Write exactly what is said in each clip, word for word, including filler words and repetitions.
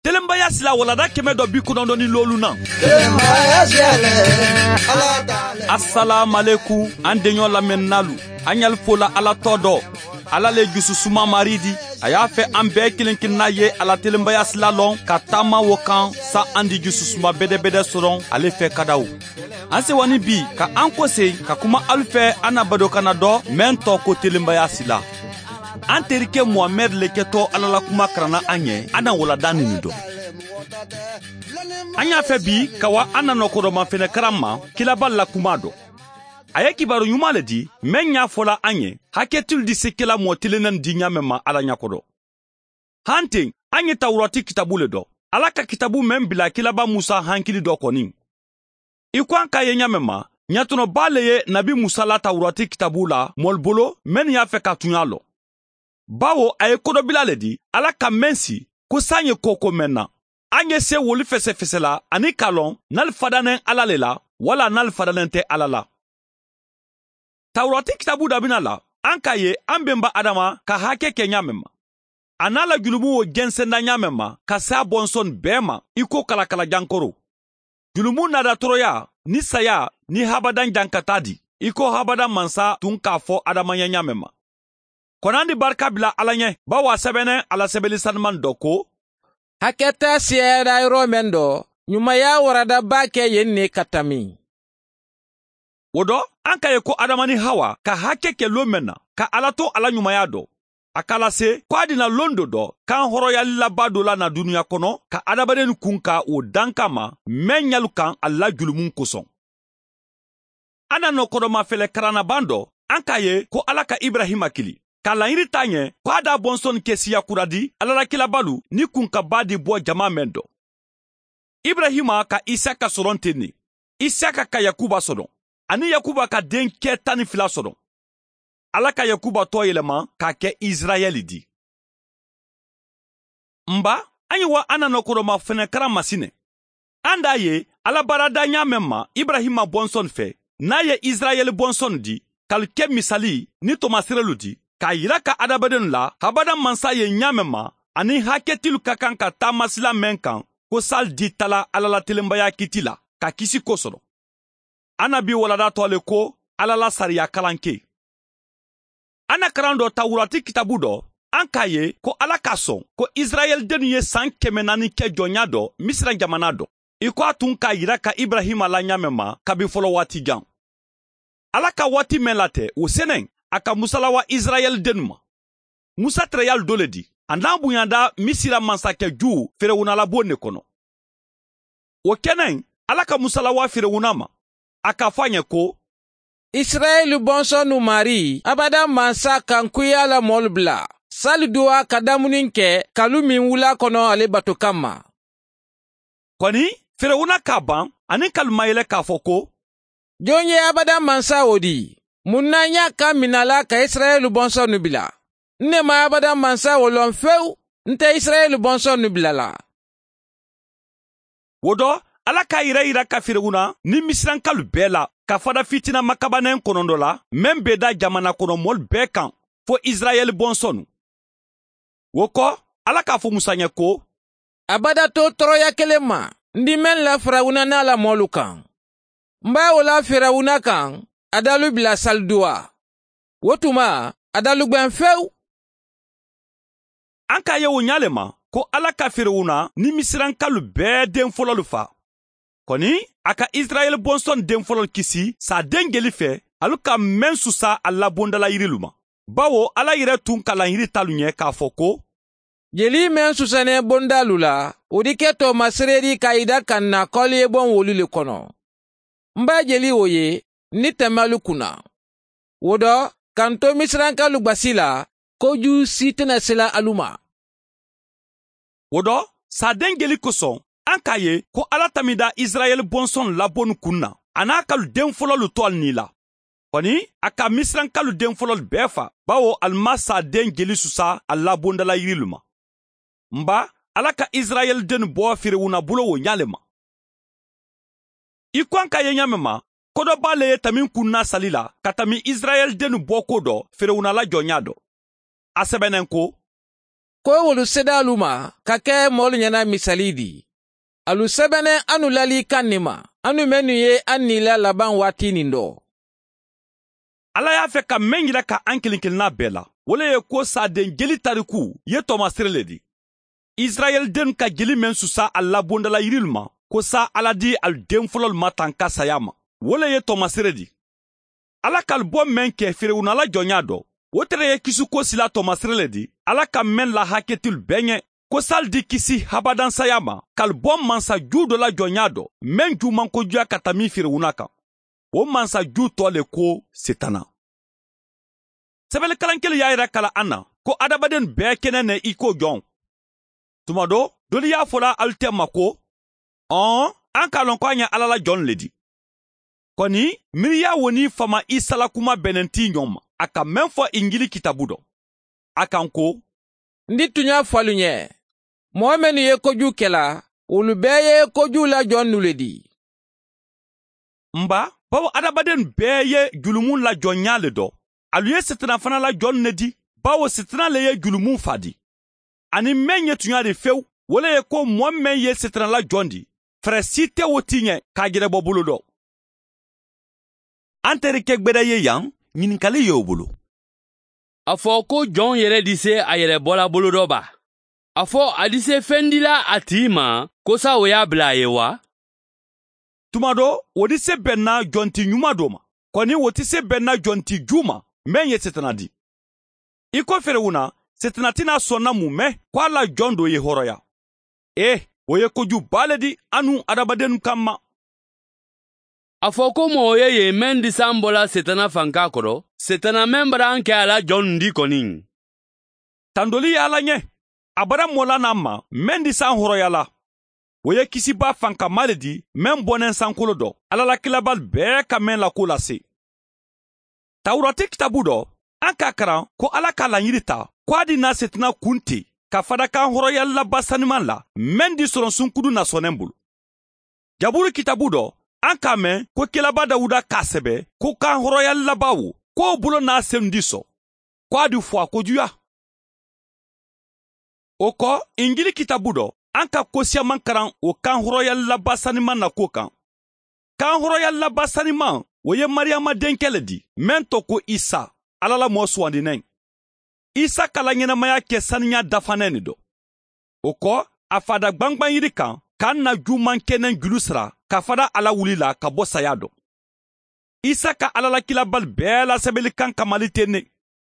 Telenbaya sila walanda kɛmɛ dɔ bi kɔnɔntɔn ni loolu na. Asalaamualekum, an deɲɔ lamɛnnaalu, an ɲali fola Ala tɔ dɔ. Ala le jususuma Mari di. A y'a fɛ an bɛɛ kelen kelenna ye a la telenbaya sila lɔn ka taama wo kan, sa an di jususuma bedebede sɔrɔ ale fɛ kadaw. An sewani bi ka an kosegi ka kuma alu fɛ, an na badokanna dɔ meŋ tɔgɔ ko telenbaya sila. An terikɛ Muhamɛdi le kɛtɔ Ala la kuma karanna an ye, an na walanda nini dɔn. An y'a fɛ bi ka wa an na nɔkɔdɔma fɛnɛ karan ma, kilaba la kuma dɔ. A ye kibaru ɲuman le di meŋ y'a fola an ye, hakɛtilu di se kela mɔɔ telenna di ɲaameŋ ma Ala ɲakodɔ. Hanteŋ, an ye tawurati kitabu le dɔ, Ala ka kitabu meŋ bila kilaba Musa hankili dɔ kɔni. I ko an k'a ye ɲaameŋ ma, ɲatɔnɔba le ye nabi Musa la tawurati kitabu la mɔlu bolo mennu y'a fɛ ka tuɲa lɔ. Bawo a ye kodɔbila le di Ala ka meŋ si, ko san ye koko meŋ na, an ye se wolu fesefesela ani ka lɔn n'ali fadaneŋ Ala le la, wala n'ali fadaneŋ te Ala la. Tawurati kitabu dabina la, an k'a ye an benba adama ka hake ke ɲaameŋ ma, a n'a la julumu wo jensenda ɲaameŋ ma ka se a bonsoni bee ma, i ko kalakala jankoro. Julumu naada toroya ni saya ni habadaŋ jankataa di, i ko habadaŋ mansa tun k'a fo adama ye ɲaameŋ ma. Konandi barika bila Ala ɲe, bawo a sebeneŋ a la sebeli sanumaŋ dɔ ko, hakɛtaa siyayadaa yɔrɔ meŋ dɔ, ɲumaya warada baa ke yen ne ka tami. Wo dɔ, an ka ye ko adama ni hawa ka hake ke loo meŋ na, ka ala to a la ɲumaya dɔ, a ka lase ko a dina londo dɔ kan horoyali labaa do la na duniya kono ka adamadennu kun ka wo dankan ma, meŋ ɲalu kan a la julumun koson. An na nokodoma fele karannaban dɔ, an ka ye ko ala ka ibrahima kili ka layiri ta ɲɛ ko a da bonsoni ke siya kura di ala la kilabalu ni kun ka baa di bɔ jama meŋ dɔ. Ibrahima ka isaka soron ten ne, isaka ka yakuba soron, ani yakuba ka den kɛ tan ni fila soron. Ala ka yakuba tɔ yɛlɛma k'a kɛ isirayɛli di. N ba, an ye wa an na nokodoma fɛnɛ karan masinɛ. An da ye ala baara da ɲa meŋ ma ibrahima bonsoni fɛ, n'a ye isirayɛli bonsoni di, k'alu ke misali ni tomasirelu di k'a yira ka adamadennu la habada mansa ye ɲa meŋ ma, ani haketilu ka kan ka taamasila meŋ kan, ko sali di tala ala la telenbaya kiti la ka kisi ko sɔrɔ. An na bi walada tɔ le ko ala la sariya kalan ke. An na karan dɔ tawurati kitabu dɔ, an k'a ye ko ala ka sɔn ko isirayɛlidennu ye san kɛmɛ naani kɛ jɔnya dɔ misira jamana dɔ, i ko a tun k'a yira ka ibrahima la ɲa meŋ ma kabi fɔlɔ waati jan. Ala ka waati meŋ latɛ, wo seneŋ a ka musa lawa isirayɛlidennu ma. Musa tereyalu do le di a n'a buɲada misira mansakɛ ju, ferewuna labon ne kono. Wo keneŋ, ala ka musa lawa ferewuna ma, a k'a fo a ɲɛ ko, isirayɛli bonsɔnnu mari abada mansa kankuya la moolu bula, sali duwa ka damuni ke kalu min wula kono ale bato kamma. Kɔni, ferewuna k'a ban, ani kalu mayɛlɛ k'a fɔ ko, jon ye abada mansa wo di? Mun na n y'a kan mina la ka isirayɛli bonsɔnnu bila? N ne ma abada mansa wo lɔn fewu. N te isirayɛli bonsɔnnu bila la. Wo dɔ, ala k'a yira yira ka ferewuna ni misirankalu bɛɛ la ka fada fitina makabanen kɔnɔndɔ la, meŋ be da jamana kɔnɔ moolu bɛɛ kan, fo isirayɛli bonsɔnnu. Wo kɔ, ala k'a fo musa ɲɛ ko, abada to tɔɔrɔya kelen ma n di meŋ la firawuna n'a la moolu kaŋ. N b'a wo la firawuna kaŋ, a dalu bila saliduwa. Wo tuma, a dalu gbeŋ fewu. An k'a ye wo ɲaa le ma ko ala ka firawuna ni misirankalu bɛɛ den fololu fa. Kɔni, a ka isirayɛli bonsɔn den fololu kisi saaden jeli fɛ, alu ka meŋ susa a la bondalayirilu ma. Bawo ala yere tun ka layiri talu ɲɛ k'a fɔ ko, jeli meŋ susaneŋ bondalu la, wo di ke to masereeri ka i da ka na kɔliyeboŋ wolu le kono. N b'a jeli wo ye ni temalu kunna. Wo dɔ, ka n to misirankalu gbasi la, ko juu si tena sila alu ma. Wo dɔ, saaden jeli koson, an k'a ye ko ala tamida isirayɛli bonsɔn labonu kun na, a n'a kalu den fololu to ali ni la. Kɔni, a ka misirankalu den fololu bɛɛ fa, bawo ali ma saaden jeli susa a labondalayirilu ma. N ba, ala ka isirayɛli dennu bɔ firawuna bolo wo ɲaa le ma. I ko an ka ye ɲaameŋ ma, ko dɔ b'a le ye tamin kunna sali la ka tami isirayɛli dennu bɔko dɔ, firawuna la jɔnya dɔ. A sebeneŋ ko, ko wolu sedaalu ma ka ke moolu ɲana misali di. Alu sebene anu lali kaŋ ni ma anu mennu ye an ni la labaŋ waati niŋ do. Alla ye a fe ka meŋ yila ka an kiliŋ kiliŋ naa bee la wo le ye ko saadeŋ jeli tariku ye tomasire le di. Isirayeli dennu ka jeli meŋ susa a la bondala yirilu ma ko saa alla di alu deŋ fololu ma tanka sayaa ma wo le ye tomasire di. Alla ka alu bo meŋ ke firawuna la jɔnyaa do wo tere ye kisiko sila tomasire le di alla ka meŋ la haketilu bee ɲe ko sali di kisi habadaŋ sayaa ma ka alu bo mansa juu do la jɔnyaa do meŋ juumankojuya ka tami firawuna kaŋ. Wo mansa juu too le ko setana. Sebelikalankelu ye a yira kala a na ko adamadennu bee kene ne i ko jɔŋ. Tuma do dolu ye a fola alu te ma ko ɔɔn an ka a loŋ ko a ɲa alla la jɔnnu le di. Koni miiriya wo niŋ fama isa la kuma benenti ɲoŋ ma a ka meŋ fo injili kitabu do a kaŋ ko n di tuɲa fo alu ɲe moo mennu ye kojuu kela wolu bee ye kojuu la jonnu le di. M ba bawo adamadennu bee ye julumu la jonɲa le do. Alu ye setana fana la jonnu ne di bawo setana le ye julumu fa di. Aniŋ meŋ ye tuɲa di fewu wo le ye ko moo meŋ ye setana la joŋ di fere si te wo ti ɲe ka a jerebo bulu do. An teri ke gbeda ye yaŋ ɲininkali ye wo bulu. A fo ko joŋ yere di se a yere bola bulu do ba? A fo a di se feŋ di la a tii ma ko sa wo ye a bila a ye wa? Tuma do wo di se benna jonti ɲuma do ma koni wo ti se benna jonti juu ma meŋ ye setana di. I ko firawuna setana ti naa sonna mu me ko a la joŋ do ye horoya. Ee wo ye koju baa le di a nuŋ adamadennu kamma. A fo ko moo ye ye meŋ di saŋ bo la setana fanka kono setana meŋ bara n ke a la joŋ ndi koniŋ. Tandoli ye a la ɲe a bara moo la naa ma meŋ di saŋ horoya la. Wo ye kisibaa fankamaa le di meŋ boneŋ sankolo do alla la kilabalu bee ka meŋ la ko lase. Tawurati kitabu do an ka a karaŋ ko alla ka a laɲiri ta ko a di naa setana kunte ka fadakan horoyali la ba sanimaŋ la meŋ di soroŋ sunkudu na soneŋ bulu. Jaburu kitabu do an ka a meŋ ko kelaba dawuda ka a sebe ko kan horoyali la ba wo ko wo bulo naa senundi so ko a di fo a kojuya. Wo ko injili kitabu do an ka kosiyaman karaŋ wo kan horoyali la ba sanimaŋ na kuwo kaŋ. Kan horoyali la ba sanimaŋ wo ye mariyama denke le di meŋ to ko isa alla la moo suwandi neŋ. Isa ka la ɲenamaya ke saniya dafaneŋ ne do. Wo ko a faada gbangbaŋ yiri kaŋ ka a na juumaŋ keneŋ julu sara ka fada a la wuli la ka bo saya do. Isa ka alla la kilabalu bee la sebeli kaŋ kamali teŋ ne.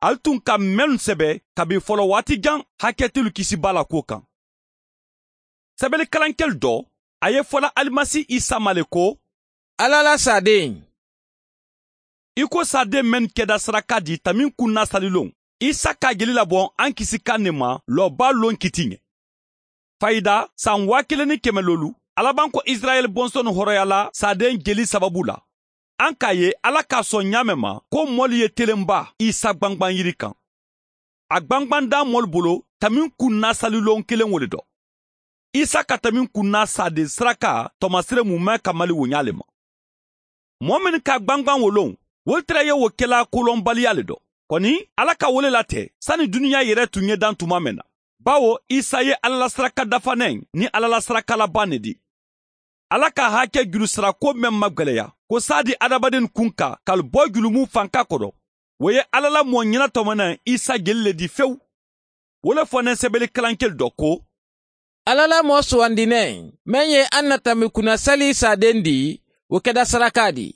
Ali tuŋ ka mennu sebe kabi folowaati jaŋ haketilu kisi baa la kuwo kaŋ. Sebelikalankelu do a ye fola alimasi isa ma le ko, alla la saadeŋ. I ko saadeŋ mennu keda saraka di taminkunna saliloŋ isa ka a jeli laboŋ ankisi kaŋ ne ma looba loŋ kiti ɲe. Fayida san waa kiliŋ ni keme loolu alabanko isirayeli bonsonu horoyala saadeŋ jeli sababu la. An ka a ye alla ka a soŋ ɲaameŋ ma ko moolu ye telenba isa gbangbaŋ yiri kaŋ. A gbangbaŋ daa moolu bolo taminkunna saliloŋ kiliŋ wo le do. Isa ka taminkunna saadeŋ saraka tomasire mu meŋ kamali wo ɲaa le ma. Moo mennu ka gbangbaŋ wo loŋ wolu tara ye wo kela kolonbaliya le do. Koni alla ka wo le late sani duniya yere tun ye daŋ tuma meŋ na. Bawo isa ye alla la saraka dafaneŋ niŋ alla la saraka labaŋ ne di. Alla ka hake julu sara ko meŋ magweleya ko saadi adamadennu kunka ka ali bo julumu fanka kono. Wo ye alla la moo ɲenatomeneŋ isa jeli le di fewu. Wo le fo neŋ sebelikalankelu do ko, alla la moo suwandi neŋ meŋ ye a na tambi kuna sali saadeŋ di wo keda saraka di.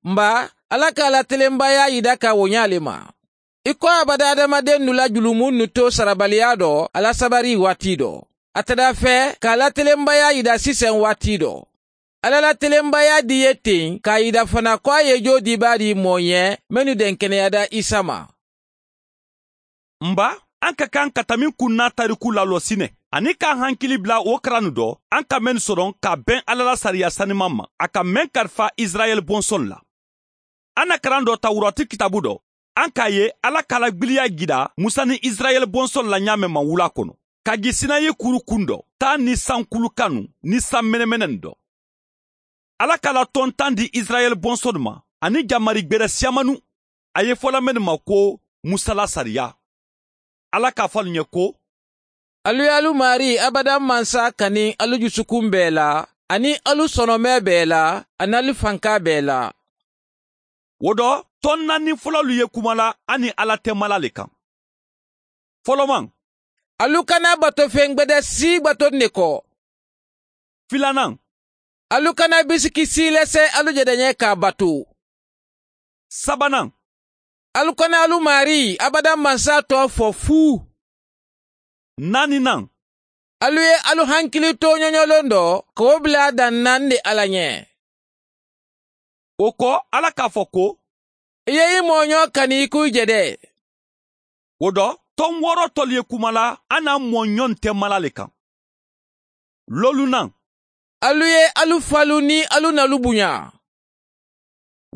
M ba, alla ka a la telenbaya yida ka wo ɲaa le ma. I ko a bada adamadennu la julumunnu to sarabaliya do a la sabari waati do. A tada fe ka a la telenbaya yida siseŋ waati do. Alla la telenbaya di ye teŋ ka a yida fana ko a ye joo dibaa di moo ɲe mennu denkeneyada isa ma. M ba, an ka kaŋ ka taminkunna tariku laloosi ne aniŋ ka an hankili bula wo karannu do an ka mennu soroŋ ka a beŋ alla la sariya sanimaŋ ma a ka meŋ karifa isirayeli bonsonu la. An na karaŋ do tawurati kitabu do an ka a ye alla ka a la gbiliya jida musa niŋ isirayeli bonsolu la ɲaameŋ maŋ wula kono ka gi sinayi kuru kundo taa niŋ sankulu kanu niŋ sanmenemenenu do. Alla ka a la tontaŋ di isirayeli bonsolu ma aniŋ jamari gbere siyamanu. A ye fola mennu ma ko musa la sariya. Alla ka a fo alu ɲe ko, Alu ye alu maarii abadan mansa kani alu jusukun bee la, aniŋ alu sonomee bee la, aniŋ alu fankaa bee la. Wo do, toŋ naani fololu ye kuma la a niŋ alla temala le kaŋ. Folomaŋ, alu kana bato feŋ gbede sii bato ne ko. Filanaŋ, alu kana bisiki sii lese alu jedeñee ka a batu. Sabanaŋ, alu kana alu maarii abadan mansa too fo fuu. Naaninaŋ, alu ye alu hankili tooñoño londo ka wo bula a daŋ naŋ de alla ñe. Wo ko, alla ka a fo ko, i ye i mooñoo kani i kuŋ i jede. Wo do, toŋ wooroo tolu ye kuma la a naa mooñoŋ temala le kaŋ. Loolunaŋ, alu ye alu falu niŋ alu nalu buñaa.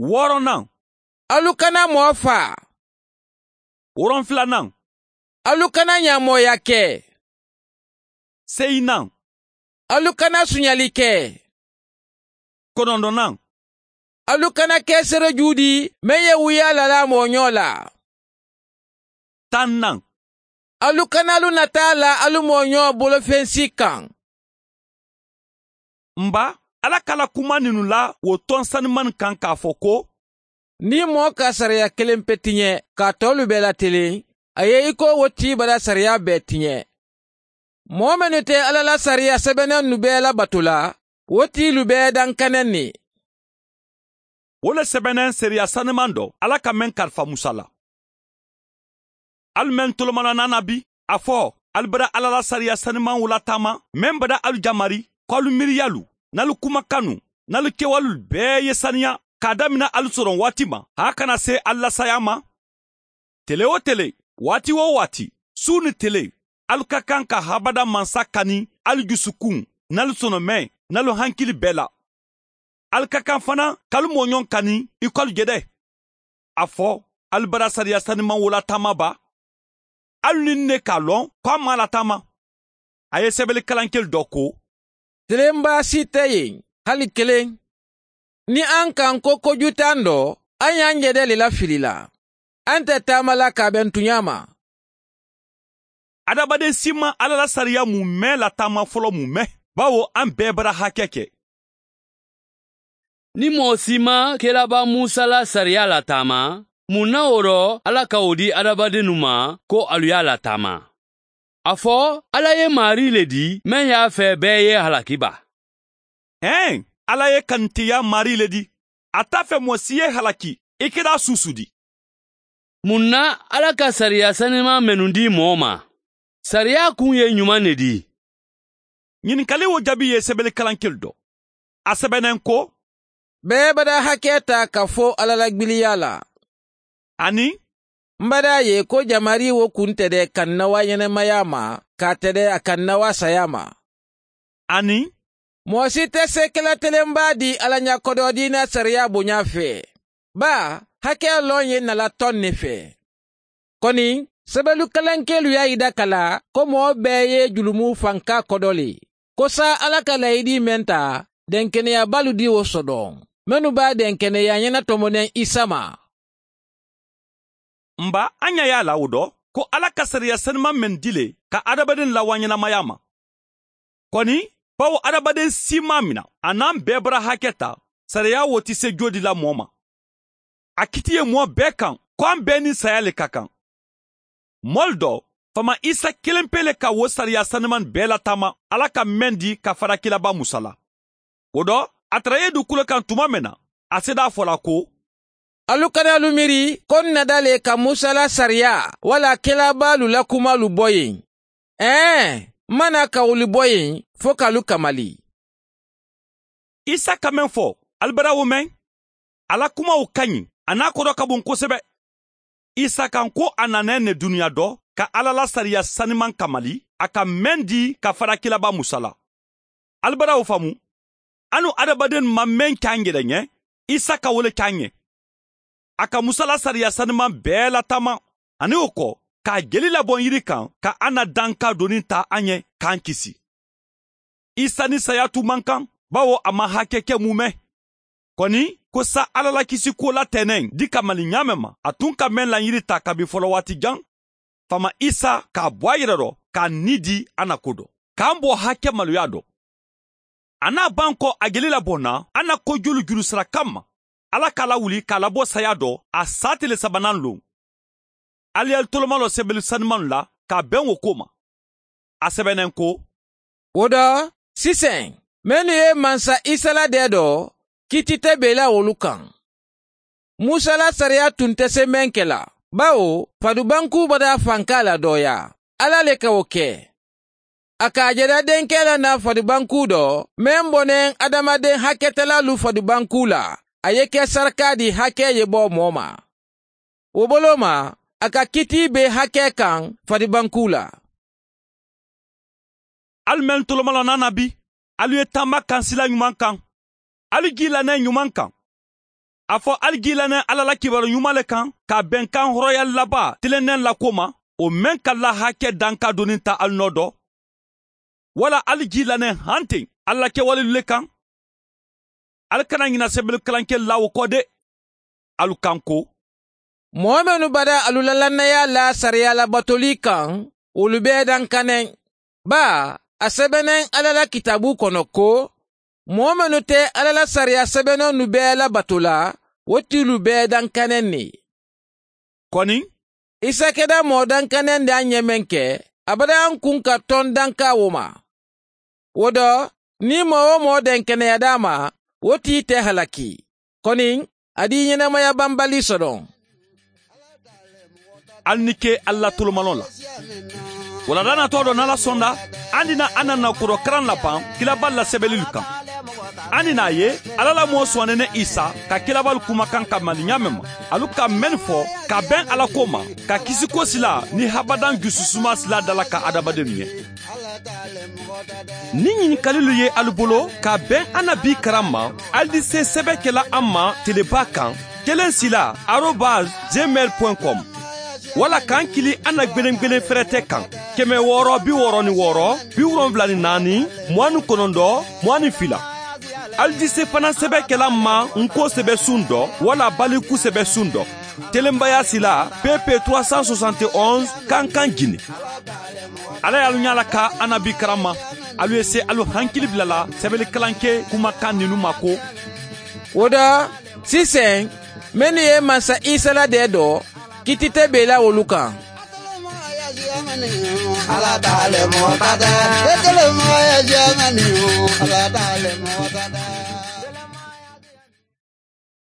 Wooronaŋ, alu kana moo faa. Woronfilanaŋ, alu kana ñaamooyaa ke. Seyinaŋ, alu kana suñali ke. Konondonaŋ, alu kana ke serejuudi meŋ ye wuyaa lalaa mooñoo la. Tannaŋ, alu kana alu nataa la alu mooñoo bolofensii kaŋ. M ba, alla ka a la kuma ninnu la wo toŋ sanimaŋ kaŋ ka a fo ko, niŋ moo ka sariya keleŋ pe tiñe ka a toolu bee la tiliŋ, a ye i ko wo tii bala sariya bee tiñe. Moo mennu te alla la sariya sebeneŋ nu bee la batu la, wo tiilu bee dankaneŋ ni. Wo le sebeneŋ sariya sanimaŋ do alla ka meŋ kalifa musa la. Alu mennu tolomalanaana bi, a fo, alu bada alla la sariya sanimaŋo lataama meŋ bada alu jamari ko alu miiriyalu, nin alu kumakannu, nin alu kewalulu bee ye saniya ka a damina alu soroŋ waati ma haa a kana see alu la saayaa ma. Tele-wo-tele, waati-wo-waati, suu niŋ tele, alu ka kaŋ ka habada mansa kani alu jusukuŋ, nin alu sonomee, nin alu hankili bee la. Alu ka kaŋ fanaa ka alu mooñoŋ kani i ko alu jede. A fo, alu bada sariya sanimaŋ wo lataama baa? Alu niŋ ne ka a loŋ ko a maŋ a lataama. A ye sebeli kalankelu do ko, tilenbaa si te yen, hali keleŋ. Niŋ a ŋ kaŋ ko kojutaa n do, a ñaa n jede le la fili la. A nte taama la ka a be n tuñaa ma. Adamaden si maŋ alla la sariya mu mee lataama folo mu mee, bawo a ŋ bee bara hake ke. Niŋ moo si maŋ kelaba musa la sariya lataama, muŋ na wo do alla ka wo dii adamadennu ma ko alu ye a lataama? A fo, alla ye maarii le dii meŋ ye a fee bee ye halaki baa? Hee, alla ye kanitiyaa maarii le dii. A te a fee moo si ye halaki i keda suusu dii. Muŋ na alla ka sariya sanimaŋ mennu dii moo ma? Sariya kuŋ ye ɲumaŋ ne dii? Ɲininkali wo jaabi ye sebeli kalankelu do. A sebeneŋ ko, bee bada hakee taa ka fo alla la gbiliyaa la. Aniŋ, m bada ye ko jamari wo kuŋ tede kaŋ na wa ɲenemayaa ma ka tede a kaŋ na wa sayaa ma. Aniŋ, moo si te seekela telenbaa dii alla ɲa kodoo diina sariyaa boɲaa fee. Baa, hakee loŋ ye nna la toŋ ne fee. Koni, sebelu kalankeelu ye a yidaka la ko moo bee ye julumu fankaa kodo le. Ko saayiŋ alla ka layidii meŋ taa, denkeneyabaalu dii wo sodoŋ, mennu be a denkeneyaa ɲena tomoneŋ isa ma. M ba, a ɲa ye a la wo do ko alla ka sariya sanimaŋ meŋ dii le ka adamadenw lawaa ɲenamayaa ma. Koni, bawo adamaden si maŋ a mina a naŋ bee bara hake taa, sariya wo ti se joodi la moo ma. A kiti ye moo bee kaŋ ko a bee niŋ saayaa le ka kaŋ. Moolu do, faama isa keleŋ pee le ka wo sariya sanimaŋ bee lataama alla ka meŋ dii ka fadakilaba musa la. Wo do, a tara ye dukulo kaŋ tuma meŋ na, a seede a fo la ko, alu kana alu miiri ko n nada le ka musa la sariya walla kelabaalu la kumaalu bo yen. Ee, m ma naa ka wolu bo yen fo ka alu kamali. Isa ka meŋ fo, ali bada wo meŋ? A la kumawo ka ɲi, a naa kodo ka buŋ kosebe. Isa kaŋ ko a nana ne duniyaa do ka alla la sariya sanimaŋ kamali a ka meŋ dii ka fadakilaba musa la. Ali bada wo faamu? Anu adamadennu maŋ meŋ ke a ŋ jede ɲe, isa ka wo le ke a ŋ ɲe. A ka musa la sariya sanimaŋ bee lataama, aniŋ wo ko ka a jeli laboŋ yiri kaŋ ka a na dankaa doniŋ taa a ɲe ka a ŋ kisi. Isa ni sayaatu maŋ kaŋ, bawo a maŋ hake ke muumee. Koni, ko saayiŋ alla la kisikuwo la teeneŋ dii kamali ɲaa meŋ ma a tuŋ ka meŋ laŋ yiri taa kabiŋ folowaati jaŋ, faama isa ka a bo a yere do ka a ni di a na ko do ka a mbo hake maluya do. A na a ban ko a geli la bo na a na ko julu julu sara kamma. Alla ka a lawuli ka a labo saya do a saa tele sabanan loŋ. Ali ye ali tolomaloo sebeli sanimanu la ka a beŋ wo ko ma. A sebeneŋ ko, wo do siseŋ mennu ye mansa isa la dee do kiiti te bee la wolu kaŋ. Musa la sariya tun te semeŋ ke la, bawo fadubankuu badaa fankaa la dooyaa alla le ka wo ke. A ka a jada denkee la naa fadubankuu do meŋ boneŋ adamadeŋ haketalaalu fadubankuu la. A ye ke sarakaa di hakee ye boo moo ma. Wo boloo ma a ka kitii bee hakee kaŋ fadubankuu la. Ali mennu tolomaloo naana bi, ali ye taama kaŋ sila ɲuman kaŋ. Ali jii la ne ɲuman kaŋ. A fo ali jii la ne alla la kibaaru ɲuman le kaŋ ka a beŋ kaŋ horoyali labaa tilenneŋ la ko ma, wo meŋ ka laa hakee dankaa doniŋ taa ali noo do. Walla ali jii la ne hanteŋ alla la kewalilu le kaŋ. Ali kana ɲina sebelu kalankelu la wo ko de. Alu kaŋ ko, moo mennu badaa alu la lannayaa laa sariyaa labatolii kaŋ, wolu bee dankaneŋ. Baa a sebeneŋ alla la kitaabuu kono ko, moo mennu te alla la sariyaa sebenennu bee labato la, wo tilu bee dankaneŋ ne. Koniŋ, isa keda moo dankaneŋ de a ɲemeŋ ke, a badaa n kuŋ ka toŋ dankaa wo ma. Wo do, niŋ moo-wo-moo denkeneyadaa ma, wo tii te halaki. Koniŋ, a dii ɲenemaya bambali sodoŋ. Ali ni ke alla tolomaloo la. Wala daanatoo do nala sonda, andi na a na na koro karaŋ la baŋ kilabal la sebelilu kaŋ. Andi na a ye, alla la moo suwanene isa ka kilabal kumakaŋ ka mali ɲaameŋ ma, alu ka mennu fo ka beŋ alla ko ma, ka kisiko sila ni habadaŋ jususuma sila dala ka adamadennu ɲe. Niŋ ɲinikalilu ye alu bolo ka beŋ annabi karaŋ ma, ali di se sebe kela a ma telebaa kaŋ, keleŋ sila arobas gmail point com. Walla ka n kili anna gbelengbelen ferete kaŋ, keme wooro bi wooro ni wooro, bi wolonwula ni naani, muwaŋ ni konondo, muwaŋ ni fila. Ali di se fanaŋ sebe kela n ma n ko sebe suŋ do walla baliku sebe suŋ do. Telenbaya sila, pp trois cent soixante et onze, kankan jini. Alla ye alu ɲaa la ka annabi karamma. Alu ye se alu hankili bila la sebeli kalanke kuma kaŋ ninnu ma ko, wo do siseŋ mennu ye mansa isa la dee do, kiiti te bee la wolu kaŋ. Alla taale moo tata. Etele moo ye jamani. Alla taale moo tata.